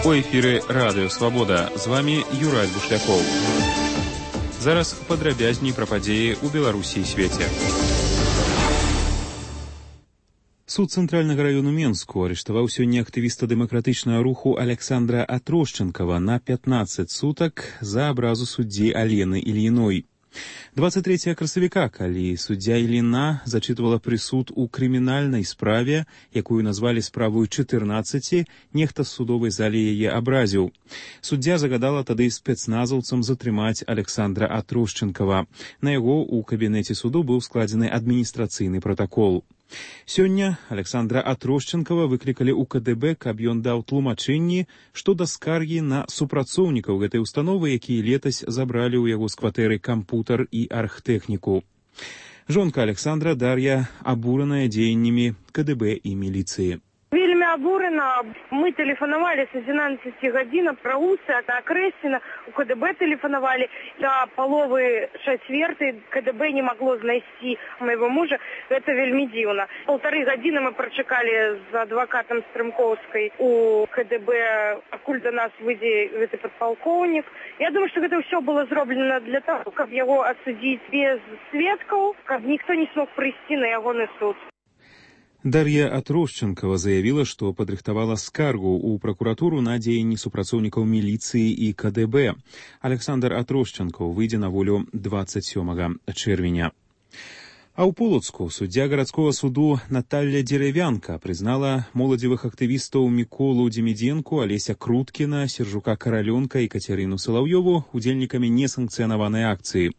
У эфіры Радыё Свабода. З вами Юрай Бушлякоў. Зараз падрабязней пра падзеі ў Беларусі і свеце. Суд Цэнтральнага раёну Менску арыштаваў сёння актывіста дэмакратычнага руху Александра Атрушчэнкава на 15 сутак за абразу суддзі Алены Ільіной. 23 красавіка, калі суддзя Іліна зачытвала прысуд у крымінальнай справе, якую назвалі справою 14, нехта з судовай залі яе абразіў. Суддзя загадала тады спецназаўцам затрымаць Александра Атрушчэнкава. На яго ў кабінеце суду быў складзены адміністрацыйны пратакол. Сёння Александра Атрушчэнкава выклікалі ў КДБ, каб ён даў тлумачэнні, што да скаргі на супрацоўнікаў гэтай установы, якія летась забралі ў яго з кватэры кампутар і архтэхніку. Жонка Александра Дар'я абураная дзеяннямі КДБ і міліцыі. Вельмі абурана. Мы тэлефанавалі з 11 гадзін пра Усы, а Крэсіна у КДБ тэлефанавалі. Да паловы 6:15 КДБ не магло знайсці майго мужа. Гэта вельмі дзіўна. 1,5 гадзіны мы прачакалі з адвакатам Стрымкоўскай у КДБ, пакуль да нас выйдзе гэты падпалкоўнік. Я думаю, што гэта ўсё было зроблена для таго, каб яго адсудзіць без сведкаў, каб ніхто не смог прыйсці на ягоны суд. Дар'я Атрушчэнкава заявіла, што падрыхтавала скаргу ў пракуратуру на дзеянні супрацоўнікаў міліцыі і КДБ. Александр Атрушчэнкаў выйдзе на волю 27 чэрвеня. А ў Полацку суддзя гарадскога суду Наталья Деревянка прызнала моладзевых актывістаў Міколу Демідзенку, Алеся Круткіна, Сержука Каралёнка і Кацярыну Салаўёву удзельнікамі несанкцыянаванай акцыі.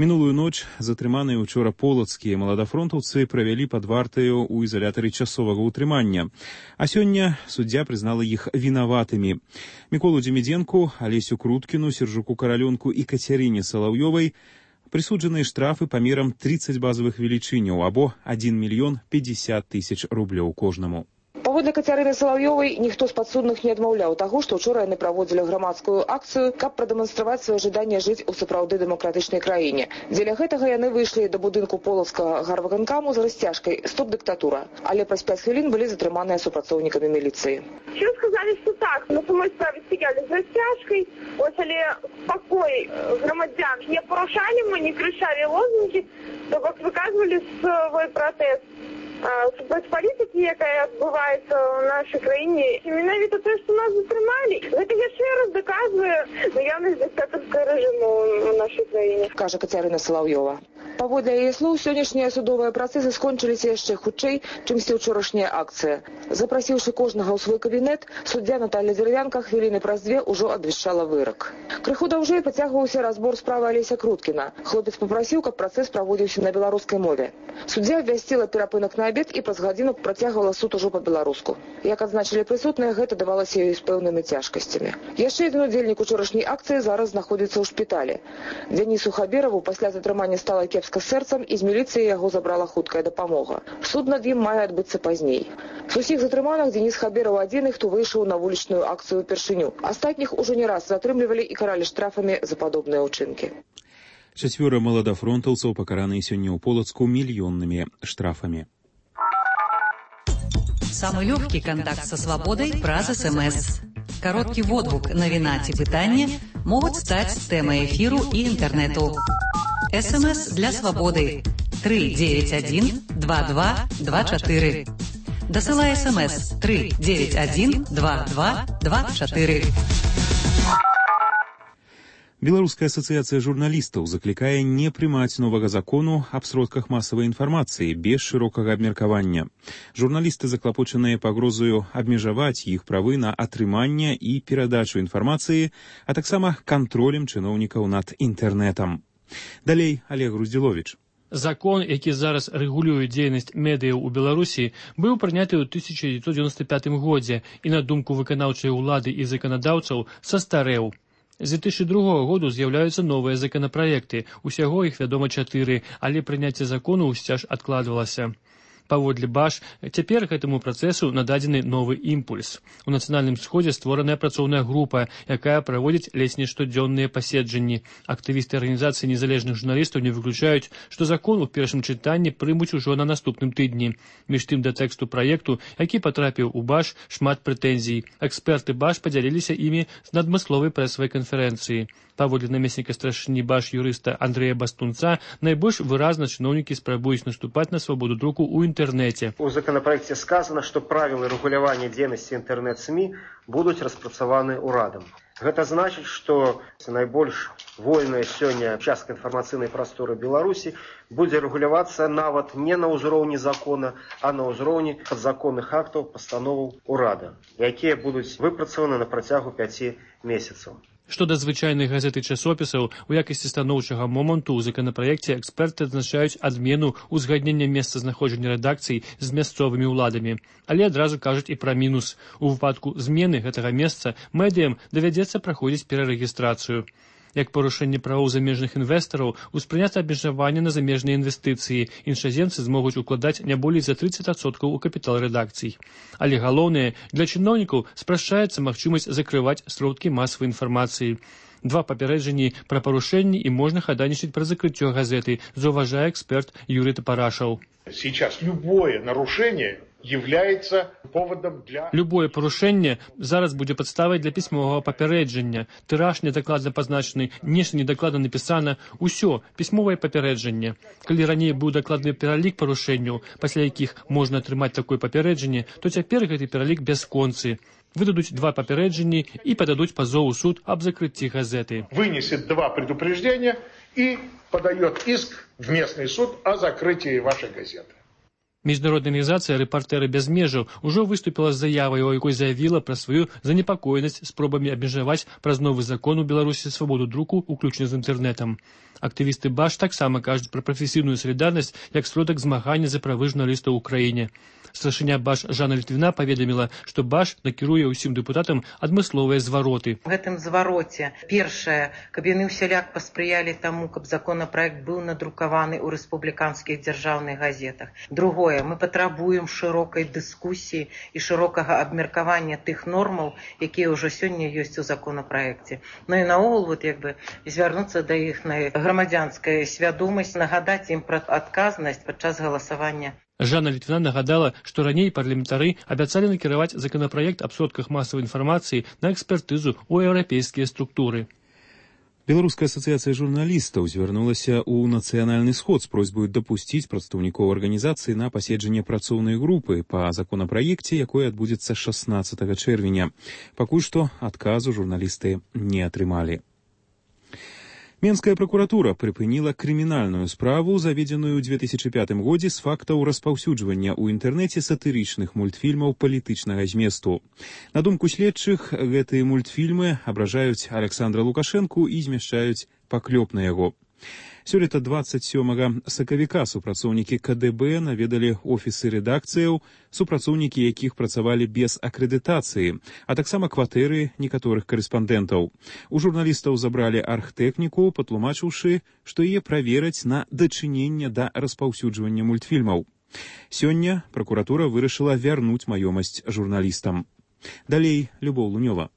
Мінулую ноч затрыманыя учора полацкія маладафронтаўцы правялі пад вартаю ў ізалятары часовага ўтрымання. А сёння суддзя прызнала іх вінаватымі. Міколу Демідзенку, Алесю Круткіну, Сержуку Каралёнку і Кацярыне Салаўёвай прысуджаныя штрафы памерам 30 базавых велічыняў або 1 мільён 50 тысяч рублёў кожнаму. Паводле Кацярыны Салаўёвай, ніхто з падсудных не адмаўляў таго, што ўчора яны праводзілі грамадскую акцыю, каб прадэманстраваць сваё жаданне жыць у сапраўды дэмакратычнай краіне. Дзеля гэтага яны выйшлі да будынку Полацкага гарвыканкаму з расцяжкай «Стоп дыктатура», але праз 5 хвілін былі затрыманыя супрацоўнікамі міліцыі. Що сказалі, што так, на самой справе стаялі з расцяжкай, ось, але спакой грамадзян не парушалі, мы не крычалі лозунгі, то бок выказвалі свой пратэст супраць палітыкі, якая адбываецца ў нашай краіне. І менавіта тое, што нас затрымалі, гэта яшчэ раз даказвае наяўнасць дыктатарскага рэжыму ў нашай краіне, кажа Кацярына Салаўёва. Паводле яе слоў, сённяшнія судовыя працэсы скончыліся яшчэ хутчэй, чымсьці ўчорашняя акцыя. Запрасіўшы кожнага ў свой кабінет, суддзя Наталья Деревянка хвіліны праз 2 ўжо абвяшчала вырак. Крыху даўжэй пацягваўся разбор справы Алеся Круткіна. Хлопец папрасіў, каб працэс праводзіўся на беларускай мове. Суддзя абвясціла перапынак на абед і праз гадзіну працягвала суд ужо па-беларуску. Як адзначылі прысутныя, гэта давалася ёй з пэўнымі цяжкасцямі. Яшчэ адзін удзельнік учорашняй акцыі зараз знаходзіцца ў шпіталі. Дзянісу Хабераву пасля затрымання стала кепска з сэрцам, і з міліцыі яго забрала хуткая дапамога. Суд над ім мае адбыцца пазней. З усіх затрыманых Дзяніс Хабераў адзіны, хто выйшаў на вулічную акцыю упершыню. Астатніх ужо не раз затрымлівалі і каралі штрафамі за падобныя ўчынкі. 4 маладафронтаўцаў пакараныя сёння ў Полацку мільённымі штрафамі. Самый легкий контакт со свободой праз СМС. Короткий водгук, навіна ці пытанне могут стать темой эфиру и интернету. СМС для свободы 391-2224. Досылай СМС 391-2224. Беларуская асацыяцыя журналістаў заклікае не прымаць новага закону аб сродках масавай інфармацыі без шырокага абмеркавання. Журналісты заклапочаныя пагрозаю абмежаваць іх правы на атрыманне і перадачу інфармацыі, а таксама кантролем чыноўнікаў над інтэрнэтам. Далей Олег Груздзіловіч. Закон, які зараз рэгулюе дзейнасць медыяў у Беларусі, быў прыняты ў 1995 годзе і, на думку выканаўчай улады і заканадаўцаў, састарэў. З 2002 году з'яўляюцца новыя законапраекты. Усяго іх, вядома, 4, але прыняцце закону ўсцяж адкладвалася. Паводле БАШ, цяпер гэтаму працэсу нададзены новы імпульс. У нацыянальным сходзе створаная працоўная група, якая праводзіць ледзь не штодзённыя паседжанні. Актывісты арганізацыі незалежных журналістаў не выключаюць, што закон у першым чытанні прымуць ужо на наступным тыдні. Між тым да тэксту праекту, які патрапіў у БАШ, шмат прэтэнзій. Эксперты БАШ падзяліліся імі з надмысловай прэсавай канферэнцыі. Паводле намесніка старшыні БАШ юрыста Андрэя Бастунца, найбольш выразна чыноўнікі спрабуюць наступаць на свабоду друку ў інтэрнэце. У законопроекте сказано, что правила регулирования деятельности интернет-СМИ будут распрацаваны урадам. Гэта значит, что найбольш вольная сёння частка інфармацыйнай прасторы Беларусі будзе рэгулявацца нават не на ўзроўні закона, а на ўзроўні падзаконных актаў пастановаў урада, якія будуць выпрацаваны на працягу 5 месяцаў. Што да звычайных газет і часопісаў, у якасці станоўчага моманту ў законапраекце эксперты адзначаюць адмену узгаднення месцазнаходжання рэдакцый з мясцовымі ўладамі. Але адразу кажуць і пра мінус. У выпадку змены гэтага месца медыям давядзецца праходзіць перарэгістрацыю. Як парушэнне правоў замежных інвестараў, успрынята абмежаванне на замежныя інвестыцыі. Іншаземцы змогуць укладаць не болей за 30% у капітал рэдакцый. Але галоўнае, для чыноўнікаў спрашчаецца магчымасць закрываць сродкі масавай інфармацыі. 2 папярэджанні пра парушэнні і можна хадайнічаць пра закрыццё газеты, заўважае эксперт Юрий Топорашаў. Сейчас любое нарушение является поводом для... Любое парушэнне зараз будзе падставай для пісьмовага папярэджання. Тыраж недакладна пазначаны, нешта недакладна напісана. Усё, пісьмовае папярэджанне. Калі раней быў дакладны пералік парушэнняў, пасля якіх можна атрымаць такое папярэджанне, то цяпер гэты пералік бясконцы. Выдадуць 2 папярэджанні і пададуць пазов у суд аб закрыцці газеты. Вынесет 2 предупреждения и подает иск в местный суд о закрытии вашей газеты. Міжнародная арганізацыя «Рэпартэры без межаў» ужо выступіла з заявай, у якой заявіла пра сваю занепакоенасць спробамі абмежаваць праз новы закон у Беларусі свабоду друку, уключна з інтэрнэтам. Актывісты БАШ таксама кажуць пра прафесійную салідарнасць як сродак змагання за правы журналістаў у краіне. Старшыня БАШ Жанна Літвіна паведаміла, што БАШ накіруе ўсім дэпутатам адмысловыя звароты. В гэтым звароце, першае, каб яны ўсяляк паспрыялі таму, каб законапраект быў надрукаваны ў рэспубліканскіх дзяржаўных газетах. Другое, мы патрабуем шырокай дыскусіі і шырокага абмеркавання тых нормаў, якія ўжо сёння ёсць у законапраекце. Ну і наогул звярнуцца да іхнай грамадзянскай свядомасці, нагадаць ім пра адказнасць падчас галасавання. Жанна Літвіна нагадала, што раней парламентары абяцалі накіраваць законапраект аб сродках масавай інфармацыі на экспертызу ў еўрапейскія структуры. Беларуская асацыяцыя журналістаў звярнулася ў нацыянальны сход з просьбай дапусціць прадстаўнікоў арганізацыі на паседжанне працоўнай групы па законапраекце, якое адбудзецца 16 чэрвеня. Пакуль што адказу журналісты не атрымалі. Менская прокуратура прыпыніла крымінальную справу, заведзеную ў 2005 годзе з фактаў распаўсюджвання ў інтэрнэце сатырычных мультфільмаў палітычнага зместу. На думку следчых, гэтыя мультфільмы абражаюць Александра Лукашэнку і змяшчаюць паклёп на яго. Сёлета 27 сакавіка супрацоўнікі КДБ наведалі офісы рэдакцыяў, супрацоўнікі якіх працавалі без акрэдытацыі, а таксама кватэры некаторых карэспандэнтаў. У журналістаў забралі аргтэхніку, патлумачыўшы, што яе правераць на дачыненне да распаўсюджвання мультфільмаў. Сёння пракуратура вырашыла вярнуць маёмасць журналістам. Далей Любоў Лунёва.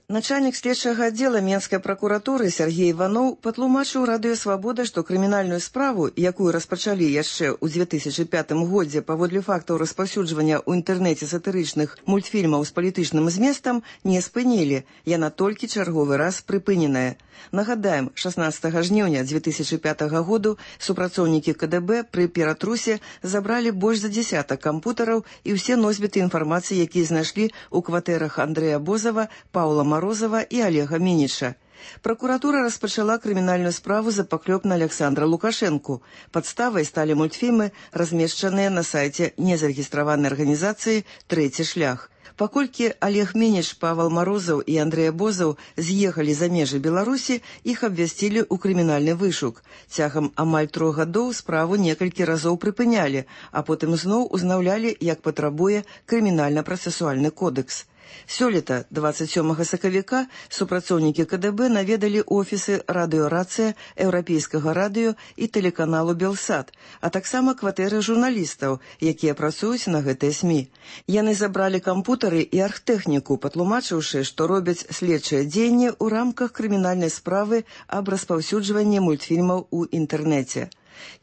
Начальник следчага аддзела Менскай пракуратуры Сергей Иванов патлумачыў Радыё Свабода, што крымінальную справу, якую распачалі яшчэ ў 2005 годзе паводле фактаў распаўсюджвання ў інтэрнэце сатырычных мультфільмаў з палітычным зместам, не спынілі. Яна толькі чарговы раз прыпыненая. Нагадаем, 16 жніўня 2005 году супрацоўнікі КДБ пры ператрусе забралі больш за 10 кампутараў і ўсе носьбіты інфармацыі, якія знайшлі ў кватэрах Андрэя Бозава, Паўла Морозова і Олега Мініча. Прокуратура распачала крымінальную справу за паклёп на Александра Лукашэнку. Падставай сталі мультфільмы, размешчаныя на сайце незарэгістраванай арганізацыі «Трэці шлях». Паколькі Олег Мініч, Павел Морозов і Андрэй Бозаў з'ехалі за межы Беларусі, іх абвясцілі ў крымінальны вышук. Цягам амаль 3 гадоў справу некалькі разоў прыпынялі, а потым зноў узнаўлялі, як патрабуе крымінальна-працэсуальны кодекс. Сёлета, 27 сакавіка, супрацоўнікі КДБ наведалі офісы радыёрацыя, еўрапейскага радыё і тэлеканалу «Белсат», а таксама кватэры журналістаў, якія працуюць на гэтыя СМІ. Яны забралі кампутары і архтэхніку, патлумачыўшы, што робяць следчыя дзеянні ў рамках крымінальнай справы аб распаўсюджванні мультфільмаў у інтэрнэце.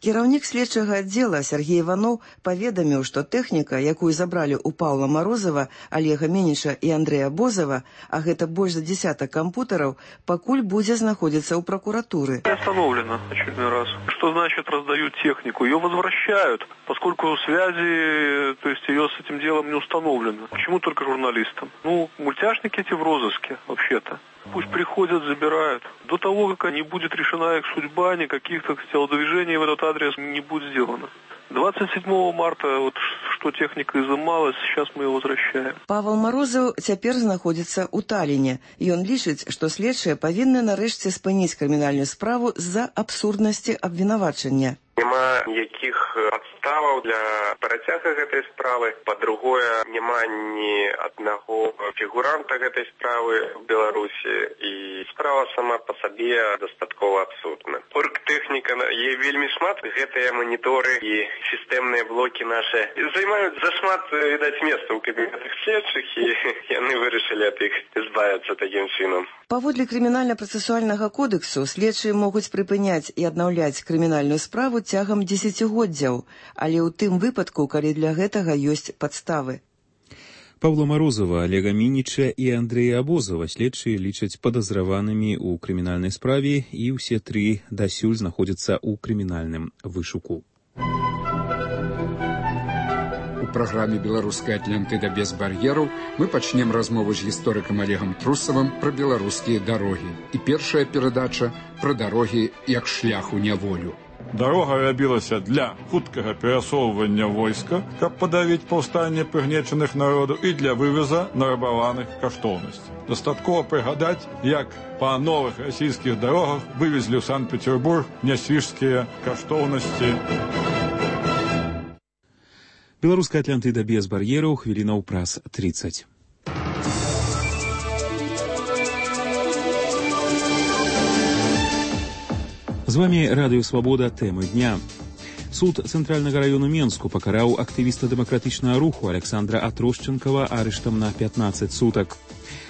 Кіраўнік следчага аддзела Сергей Иванов паведаміў, што тэхніка, якую забралі ў Паўла Марозава, Олега Меніча і Андрэя Бозова, а гэта больш за 10 компьютеров, пакуль будзе знаходзіцца ў прокуратуры. Остановлено очередной раз. Что значит раздают технику? Ее возвращают, поскольку связи, то есть ее с этим делом не установлено. Почему только журналистам? Мультяшники эти в розыске, вообще-то. Пусть приходят, забирают. До того, как не будет решена их судьба, никаких, так сказать, телодвижений в этот адрес не будет сделано. 27 марта, что техника изымалась, сейчас мы ее возвращаем. Павел Морозов цяпер знаходзіцца ў Таліне. Ён лічыць, што следчыя павінны нарэшце спыніць крымінальную справу з-за абсурднасці абвінавачання. Нема ніякіх падставаў для працяга гэтай справы. Па-другое, няма ні аднаго фігуранта гэтай справы в Беларусі. І справа сама па сабе дастаткова абсурдна. Оргтэхніка є вельмі шмат. Гэтыя маніторы і сістэмныя блокі нашы займаюць зашмат, відаць, месца ў кабінетах следчых, і яны вырашылі ад іх збавіцца такім чынам. Паводле крымінальна-працэсуальнага кодексу следчыя могуць прыпыняць і аднаўляць крымінальную справу цягам дзесяцігоддзяў, але ў тым выпадку, калі для гэтага ёсць падставы. Павла Морозова, Олега Минича и Андрея Бозова следчыя лічаць падазраванымі ў крымінальнай справе, і ўсе тры дасюль знаходзяцца ў крымінальным вышуку. У праграме «Беларуская Атлантыда без бар'ераў» мы пачнем размову з гісторыкам Олегам Трусавым пра беларускія дарогі. І першая перадача пра дарогі як шлях у няволю. Дарога рабілася для хуткага перасоўвання войска, каб падавіць паўстанне прыгнечаных народаў, і для вывеза нарабаваных каштоўнасцей. Дастаткова прыгадаць, як па новых расійскіх дарогах вывезлі ў Санкт-Петербург нясвіжскія каштоўнасці. Беларуская Атлантыда без бар'ераў, хвілінаў праз 30. З вами Радыё Свабода, тэмы дня. Суд Цэнтральнага району Менску пакараў актывіста дэмакратычнага руху Александра Атрошченкова арыштам на 15 сутак.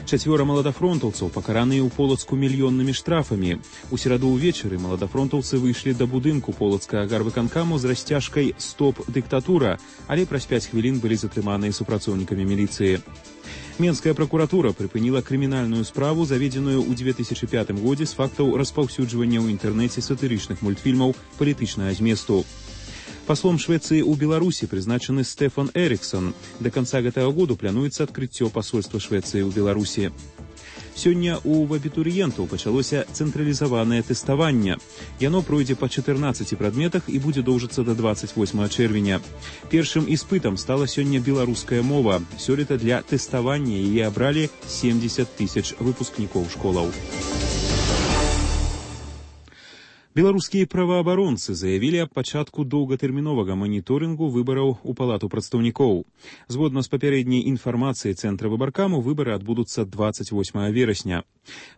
4 маладафронтаўцаў пакараныя ў Полацку мільённымі штрафамі. У сераду ўвечары маладафронтаўцы выйшлі да будынку полацкага гарвыканкаму з расцяжкай «Стоп, дыктатура», але праз 5 хвілін былі затрыманыя супрацоўнікамі міліцыі. Менская прокуратура прыпыніла крымінальную справу, заведзеную ў 2005 годзе з фактаў распаўсюджвання ў інтэрнэце сатырычных мультфільмаў палітычнага зместу. Паслом Швеции у Беларуси призначены Стефан Эриксон. До конца гэтага году плануецца адкрыццё посольства Швеции ў Беларуси. Сёння у абітурыентаў пачалося цэнтралізаванае тэставанне. Яно пройдзе па 14 прадметах і будзе доўжыцца да 28 чэрвеня. Першым іспытам стала сёння беларуская мова. Сёлета для тэставання яе абралі 70 000 выпускнікоў школаў. Беларускія праваабаронцы заявілі аб пачатку доўгатэрміновага маніторынгу выбараў у палату прадстаўнікоў. Згодна з папярэдняй інфармацыяй Цэнтра выбаркаму, выбары адбудуцца 28 верасня.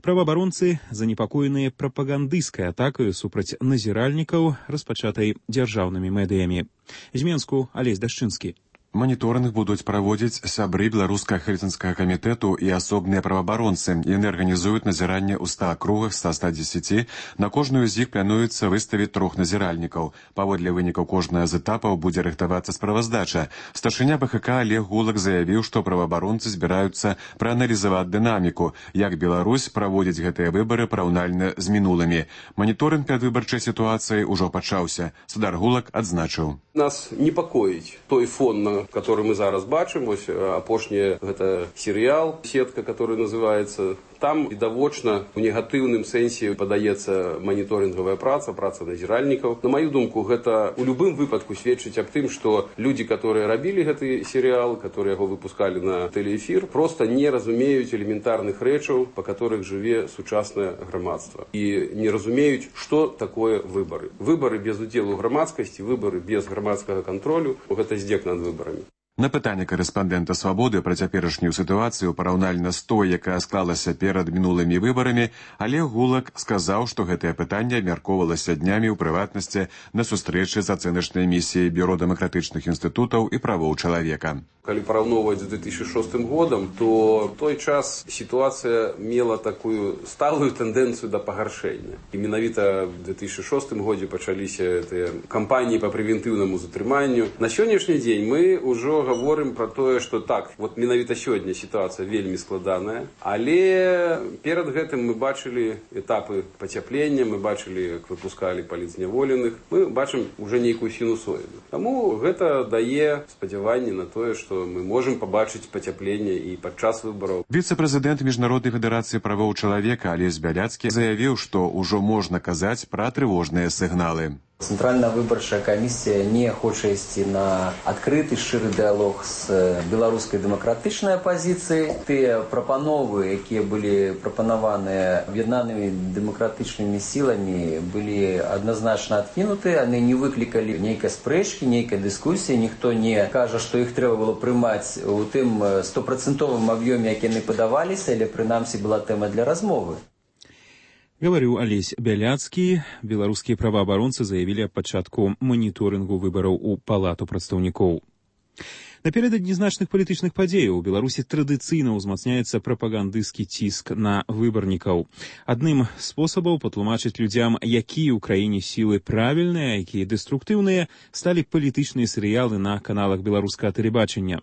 Праваабаронцы занепакоеныя прапагандысцкай атакаю супраць назіральнікаў, распачатай дзяржаўнымі медыямі. З Менску Алесь Дашчынскі. Маніторынг будуць праводзіць сябры беларускага хельсінскага камітэту і асобныя праваабаронцы. Яны арганізуюць назіранне ў 100 акругах са 110. На кожную з іх плануецца выставіць 3 назіральнікаў. Паводле вынікаў кожнага з этапаў будзе рыхтавацца справаздача. Старшыня БХК Олег Гулак заявіў, што праваабаронцы збіраюцца прааналізаваць дынаміку, як Беларусь праводзіць гэтыя выбары параўнальна з мінулымі. Маніторынг перадвыбарчай сітуацыі ўжо пачаўся. Судар Гулак адзначыў: нас непакоіць той фон, который мы зараз бачым. Вось апошні гэта серыял «Сетка», который называется. Там відавочна у негатыўным сэнсе падаецца маніторынгавая праца назіральнікаў. На маю думку, гэта у любым выпадку сведчыць аб тым, што людзі, которые рабілі гэты серыял, которые яго выпускалі на тэлеэфір, просто не разумеюць элементарных рэчаў, па которых жыве сучаснае грамадства. І не разумеюць, што такое выбары. Выбары без удзелу грамадскасці, выбары без грамадскага кантролю, гэта здзек над выбарамі. На пытанне корэспандэнта «Свабоды» пра цяперашнюю сітуацыю параўнальна з той, якая склалася перад мінулымі выбарамі, Олег Гулак сказаў, што гэтае пытанне абмяркоўвалася днямі ў прыватнасці на сустрэчы з ацэначнай місіяй Бюро дэмакратычных інстытутаў і правоў чалавека. Калі параўноўваць з 2006 годам, то в той час сітуацыя мела такую сталую тэндэнцыю да пагаршэння. І менавіта в 2006 годзе пачаліся тыя кампаніі па прэвентыўнаму затрыманню. На сённяшні дзень мы ўжо гаворым пра тое, што так, вот менавіта сёння сітуацыя вельмі складаная, але перад гэтым мы бачылі этапы пацяплення, мы бачылі, як выпускалі палітзняволеных, мы бачым уже нейкую сінусоіду. Таму гэта дае спадзяванне на тое, што мы можам пабачыць пацяпленне і падчас выбараў. Віцэ-прэзідэнт Міжнароднай федэрацыі правоў чалавека Алесь Бяляцкі заявіў, што ўжо можна казаць пра трывожныя сігналы. Цэнтральная выбарчая камісія не хоча ісці на адкрыты шчыры дыялог з беларускай дэмакратычнай апазіцыяй. Тыя прапановы, якія былі прапанаваныя аб'яднанымі дэмакратычнымі сіламі, былі адназначна адкінуты, яны не выклікалі нейкай спрэчкі, нейкай дыскусіі, ніхто не кажа, што іх трэба было прымаць у тым 100% аб'ёме, які яны падаваліся, але прынамсі была тэма для размовы. Гаварыў Алесь Бяляцкі. Беларускія праваабаронцы заявілі аб пачатку маніторынгу выбараў у Палату прадстаўнікоў. Наперададні значных палітычных падзеяў у Беларусі традыцыйна ўзмацняецца прапагандысцкі ціск на выбарнікаў. Адным з спосабаў патлумачыць людзям, якія ў краіне сілы правільныя, якія дэструктыўныя, сталі палітычныя серыялы на каналах беларускага тэлебачання.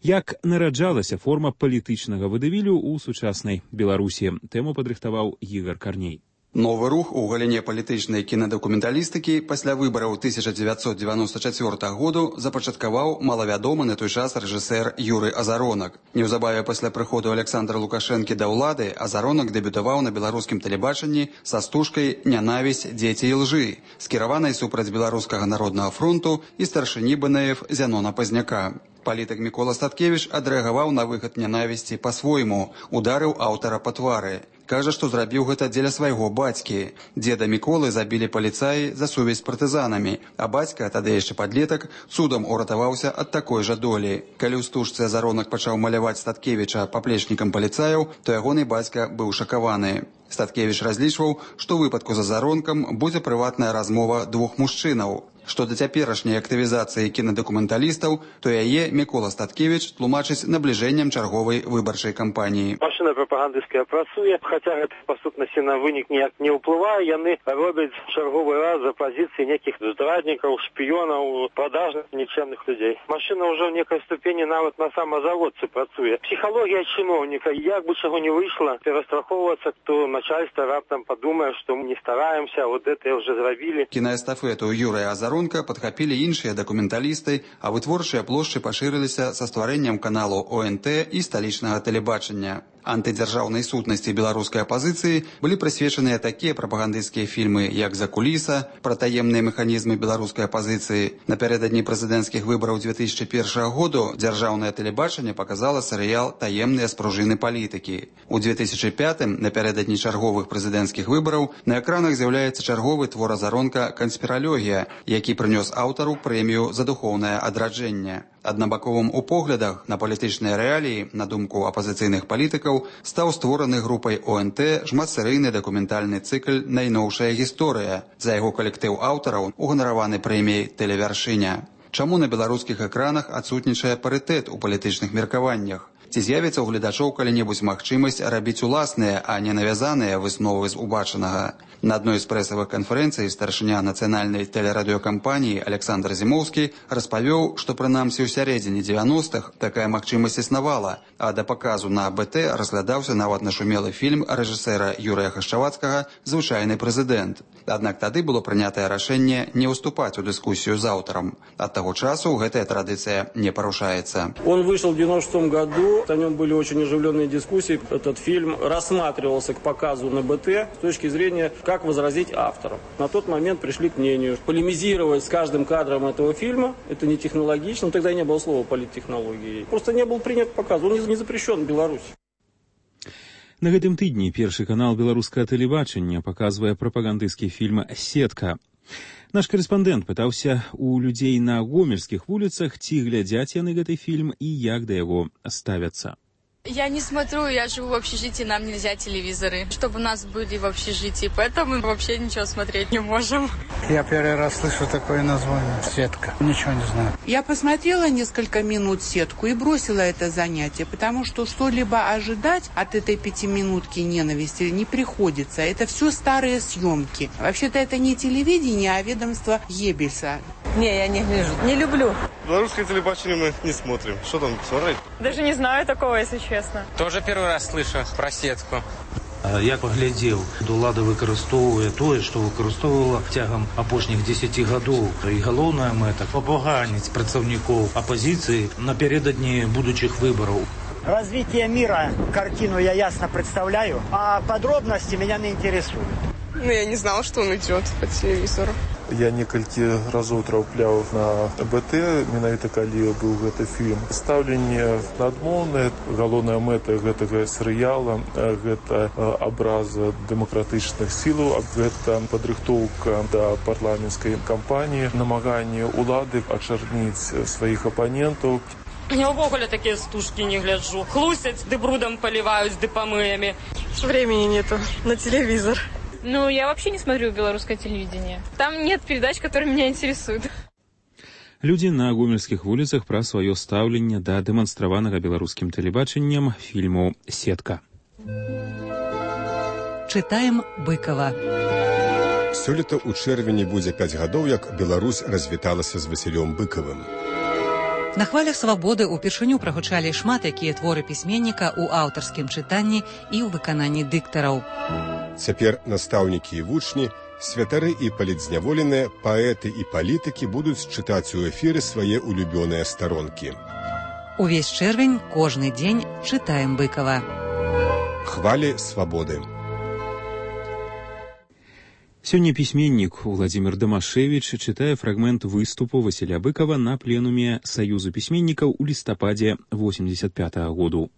Як нараджалася форма палітычнага вадавілю ў сучаснай Беларусі? Тэму падрыхтаваў Ігар Карней. Новы рух у галіне палітычнай кінадакументалістыкі пасля выбараў 1994 году запачаткаваў малавядомы на той час рэжысэр Юрый Азаронак. Неўзабаве пасля прыходу Александра Лукашэнкі да ўлады Азаронак дэбютаваў на беларускім тэлебачанні са стужкай «Нянавісць, дзеці і лжы», скіраванай супраць Беларускага народнага фронту і старшыні БНФ Зянона Пазняка. Палітык Мікола Статкевіч адрэагаваў на выхад нянавісці па-свойму, ударыў аўтара па твары. Кажа, што зрабіў гэта дзеля свайго бацькі. Дзеда Міколы забілі паліцаі за сувязь з партызанамі, а бацька, тады яшчэ падлетак, цудам уратаваўся ад такой жа долі. Калі ў стужцы Азаронак пачаў маляваць Статкевіча паплечнікам паліцаяў, то ягоны бацька быў шакаваны. Статкевіч разлічваў, што ў выпадку з Азаронкам будзе прыватная размова двух мужчынаў. Што да цяперашняй актывізацыі кінадакументалістаў, то яе Мікола Статкевіч тлумачыць набліжэннем чарговай выбарчай кампаніі. Машына прапагандысцкая працуе, хаця гэта па сутнасці на вынік ніяк не ўплывае, яны робяць чарговы раз за пазіцыі нейкіх здраднікаў, шпіёнаў, продажных нікчэмных людзей. Машына ўжо в некай ступені нават на самазаводцы працуе. Псіхалогія чыноўніка, як бы чаго не выйшла, перастрахоўвацца, то начальство раптам падумае, што мы не стараемся, вот это уже зрабілі. Кінаэстафету Юрыя Азаронка падхапілі іншыя дакументалісты, а вытворчыя плошчы пашырыліся са стварэннем каналу ОНТ і сталічнага тэлебачання. Антыдзяржаўнай сутнасці беларускай апазіцыі былі прысвечаныя такія прапагандысцкія фільмы, як «Закуліса», пра таемныя механізмы беларускай апазіцыі. Напярэдадні прэзідэнцкіх выбараў 2001 году дзяржаўнае тэлебачанне паказала серыял «Таемныя спружыны палітыкі». У 2005-м, напярэдадні чарговых прэзідэнцкіх выбараў, на экранах з'яўляецца чарговы твор Азаронка «Канспіралогія», які прынёс аўтару прэмію за духоўнае адраджэнне. Аднабаковым у поглядах на палітычныя рэаліі, на думку апазіцыйных палітыкаў, стаў створаны групай ОНТ шматсерыйны дакументальны цыкл «Найноўшая гісторыя». За яго калектыў аўтараў уганараваны прэміяй «Тэлевяршыня». Чаму на беларускіх экранах адсутнічае парытэт у палітычных меркаваннях? Ці з'явіцца ў гледачоў калі-небудзь магчымасць рабіць уласныя, а не навязаныя высновы з убачанага? На адной з прэсавых канферэнцый старшыня нацыянальнай тэлерадыёкампаніі Александр Зімоўскі распавёў, што прынамсі ў сярэдзіне 90-х такая магчымасць існавала, а да паказу на БТ разглядаўся нават нашумелы фільм рэжысэра Юрыя Хашчавацкага «Звычайны прэзідэнт». Аднак тады было прынятае рашэнне не ўступаць у дыскусію з аўтарам. Ад таго часу гэтая традыцыя не парушаецца. Он вышел в 96 году, о нем были очень оживленные дискуссии. Этот фильм рассматривался к показу на БТ с точки зрения, как возразить автору. На тот момент пришли к мнению, полемизировать с каждым кадром этого фильма, это не технологично, тогда не было слова политтехнологии. Просто не был принят показ, он не запрещен в Беларуси. На гэтым тыдні першы канал беларускага тэлебачання паказвае прапагандысцкі фільм «Сетка». Наш корэспандэнт пытаўся у людзей на гомельскіх вуліцах, ці глядзяць яны гэты фільм і як да яго ставяцца. Я не смотрю, я живу в общежитии, нам нельзя телевизоры, чтобы у нас были в общежитии, поэтому мы вообще ничего смотреть не можем. Я первый раз слышу такое название «Сетка». Ничего не знаю. Я посмотрела несколько минут «Сетку» и бросила это занятие, потому что что-либо ожидать от этой 5-минутки ненависти не приходится. Это все старые съемки. Вообще-то это не телевидение, а ведомство Геббельса. Не, я не гляжу. Не люблю. Белорусское телебачение мы не смотрим. Что там смотреть? Даже не знаю такого, если честно. Тоже первый раз слышу про сетку. Я паглядзеў, улада выкарыстоўвае тое, што выкарыстоўвала цягам апошніх 10 гадоў. І галоўная мэта – папаганіць прадстаўнікоў апозіцыі напередадні будучых выбараў. Развитие мира, картину я ясно представляю, а подробности меня не интересуют. Я не знала, что он идет по телевизору. Я некалькі разоў трапляў на БТ, менавіта калі быў гэты фільм. Стаўленне адмоўнае, галоўная мэта гэтага серыяла – гэта абраза дэмакратычных сілаў, гэта падрыхтоўка да парламенцкай кампаніі, намаганне ўлады ачарніць сваіх апанентаў. Я ўвогуле такія стужкі не гляджу. Хлусяць, ды брудом поливаюць, ды помоями. Времени нету на телевизор. Ну, я вообще не смотрю белорусское телевидение. Там нет передач, которые меня интересуют. Людзі на гомельскіх вуліцах пра сваё стаўленне да дэманстраванага беларускім тэлебачаннем фільму «Сетка». Чытаем Быкова. Сёлета ў чэрвені будзе 5 гадоў, як Беларусь развіталася з Васілём Быкавым. На хвалях свабоды ўпершыню прагучалі шмат якія творы пісьменніка ў аўтарскім чытанні і ў выкананні дыктараў. Цяпер настаўнікі і вучні, святары і палітзняволеныя, паэты і палітыкі будуць чытаць у эфіры свае улюбёныя старонкі. Увесь чэрвень, кожны дзень чытаем Быкава. Хвалі свабоды. Сёння пісьменнік Владзімір Дамашевіч чытае фрагмент выступу Васіля Быкава на пленуме Саюзу пісьменнікаў у лістападзе 85-го году.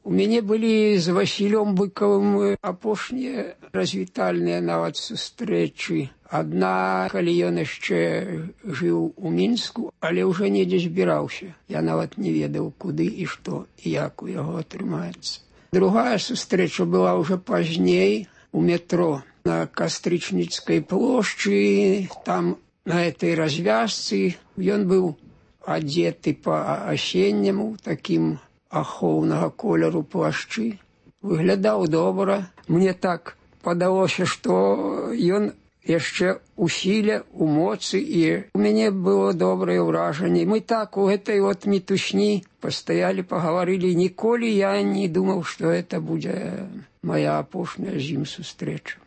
У мяне былі з Васілём Быкавым апошнія развітальныя нават сустрэчы. Адна, калі ён яшчэ жыў у Мінску, але ўжо недзе збіраўся. Я нават не ведаў, куды і што, і як у яго атрымаецца. Другая сустрэча была ўжо пазней у метро на Кастрычніцкай плошчы. Там на этой развязцы ён быў адзеты па-асенняму, такім ахоўнага колеру плашчы. Выглядаў добра. Мне так падалося, што ён яшчэ у сіле, у моцы, і у мяне было добрае ўражанне. Мы так у гэтай мітусні пастаялі, пагаварылі. Ніколі я не думаў, што гэта будзе моя апошняя з ім сустрэча.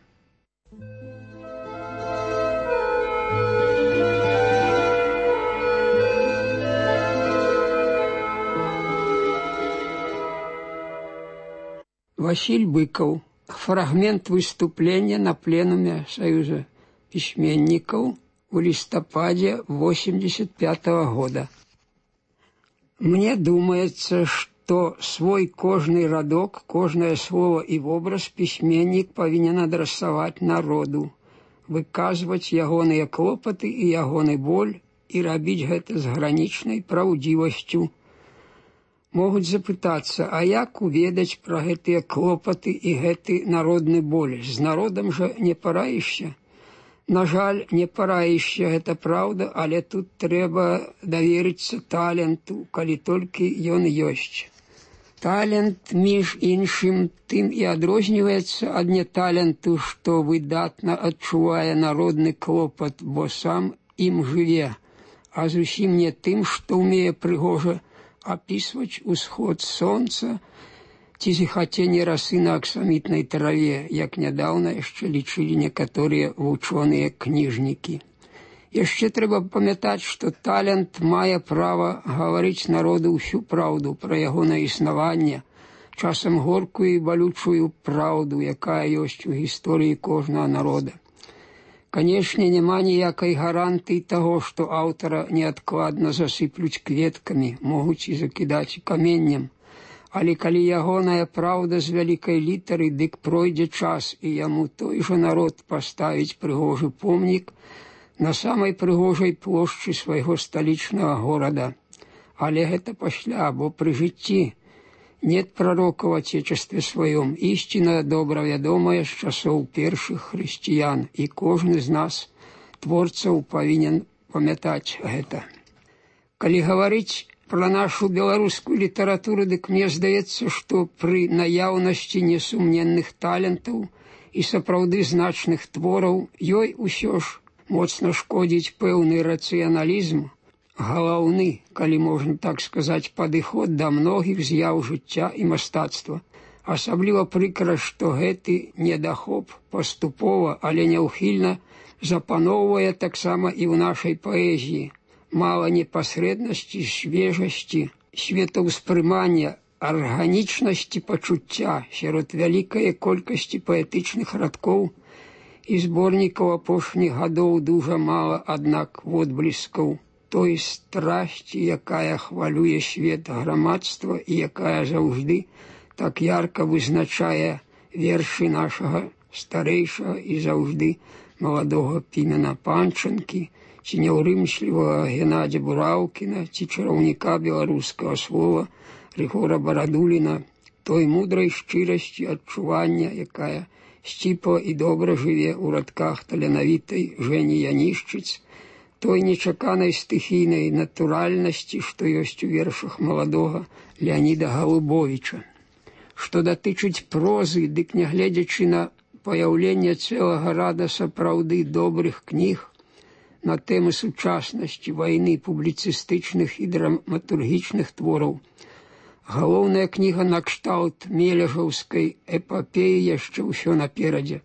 Василь Быков. Фрагмент выступления на пленуме Союза письменников в листопаде 85-го года. Мне думается, что свой кожный радок, кожное слово и образ письменник повинен адресовать народу, выказывать ягоныя клопоты и ягоны боль и робить гэта с граничной правдивостью. Могуць запытацца, а як уведаць пра гэтыя клопаты і гэты народны боль? З народам жа не параішся. На жаль, не параішся, гэта праўда, але тут трэба даверыцца таленту, калі толькі ён ёсць. Талент, між іншым, тым і адрозніваецца ад неталенту, што выдатна адчувае народны клопат, бо сам ім жыве, а зусім не тым, што ўмее прыгожа описывать усход солнца ці зіхаценне расы на аксамітнай траве, як нядаўна яшчэ лічылі некаторыя вучоныя кніжнікі. Яшчэ трэба памятаць, што талент мае права гаварыць народу ўсю праўду пра ягонае існаванне, часам горкую і балючую праўду, якая ёсць у гісторыі кожнага народа. Канешне, няма ніякай гарантыі таго, што аўтара неадкладна засыплюць кветкамі, могуць і закідаць каменнем. Але калі ягоная праўда з вялікай літары, дык пройдзе час, і яму той жа народ паставіць прыгожы помнік, на самай прыгожай плошчы свайго сталічнага горада. Але гэта пасля, бо пры жыцці нет пророка в Отечестве своем, истина добра вядомая з часоў першых хрысціян, і кожны з нас, творцаў, павінен памятаць гэта. Калі гаварыць пра нашу беларускую літаратуру, дык мне здаецца, што пры наяўнасці несумненных талентаў і сапраўды значных твораў ёй усё ж моцна шкодзіць пэўны рацыяналізм, галаўны, калі можна так сказаць, падыход да многіх з'яў жыцця і мастацтва. Асабліва прыкра, што гэты недахоп паступова, але няўхільна запаноўвае таксама і ў нашай паэзіі. Мала непасрэднасці, свежасці, светаўспрымання, арганічнасці пачуцця сярод вялікай колькасці паэтычных радкоў і зборнікаў апошніх гадоў дужа мала, аднак, водбліскаў той страсці, якая хвалюе свет грамадства і якая заўжды так ярка вызначае вершы нашага старэйшага і заўжды маладога Пімена Панчанкі, ці няўрымслівага Геннадзя Бураўкіна, ці чараўніка беларускага слова Рыгора Барадуліна, той мудрай шчырасці адчування, якая сціпла і добра жыве ў радках таленавітай Жэні Янішчыц, той нечаканай стыхійнай натуральнасці, што ёсць у вершах маладога Леаніда Галубовіча. Што датычыць прозы, дык нягледзячы на паяўленне цэлага рада сапраўды добрых кніг на тэмы сучаснасці, вайны, публіцыстычных і драматургічных твораў, галоўная кніга накшталт мележаўскай эпапеі яшчэ ўсё наперадзе.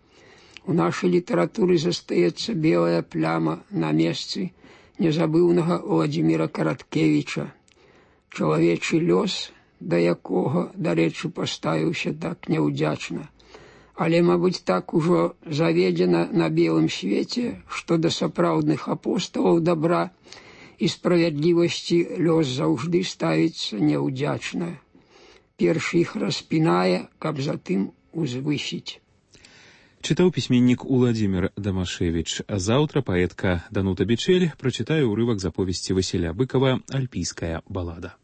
У нашай літаратуры застаецца белая пляма на месцы незабыўнага Владзіміра Караткевіча. Чалавечы лёс, да якога, дарэчы, паставіўся так няўдзячна. Але, мабыць, так ужо заведзена на белым свеце, што да сапраўдных апосталаў дабра і справядлівасці лёс заўжды ставіцца няўдзячна. Першы іх распінае, каб затым узвысіць. Чытаў пісьменнік Уладзімір Дамашевіч. А заўтра паэтка Данута Бичель прачытае ўрывак з аповесці Васіля Быкава «Альпійская балада».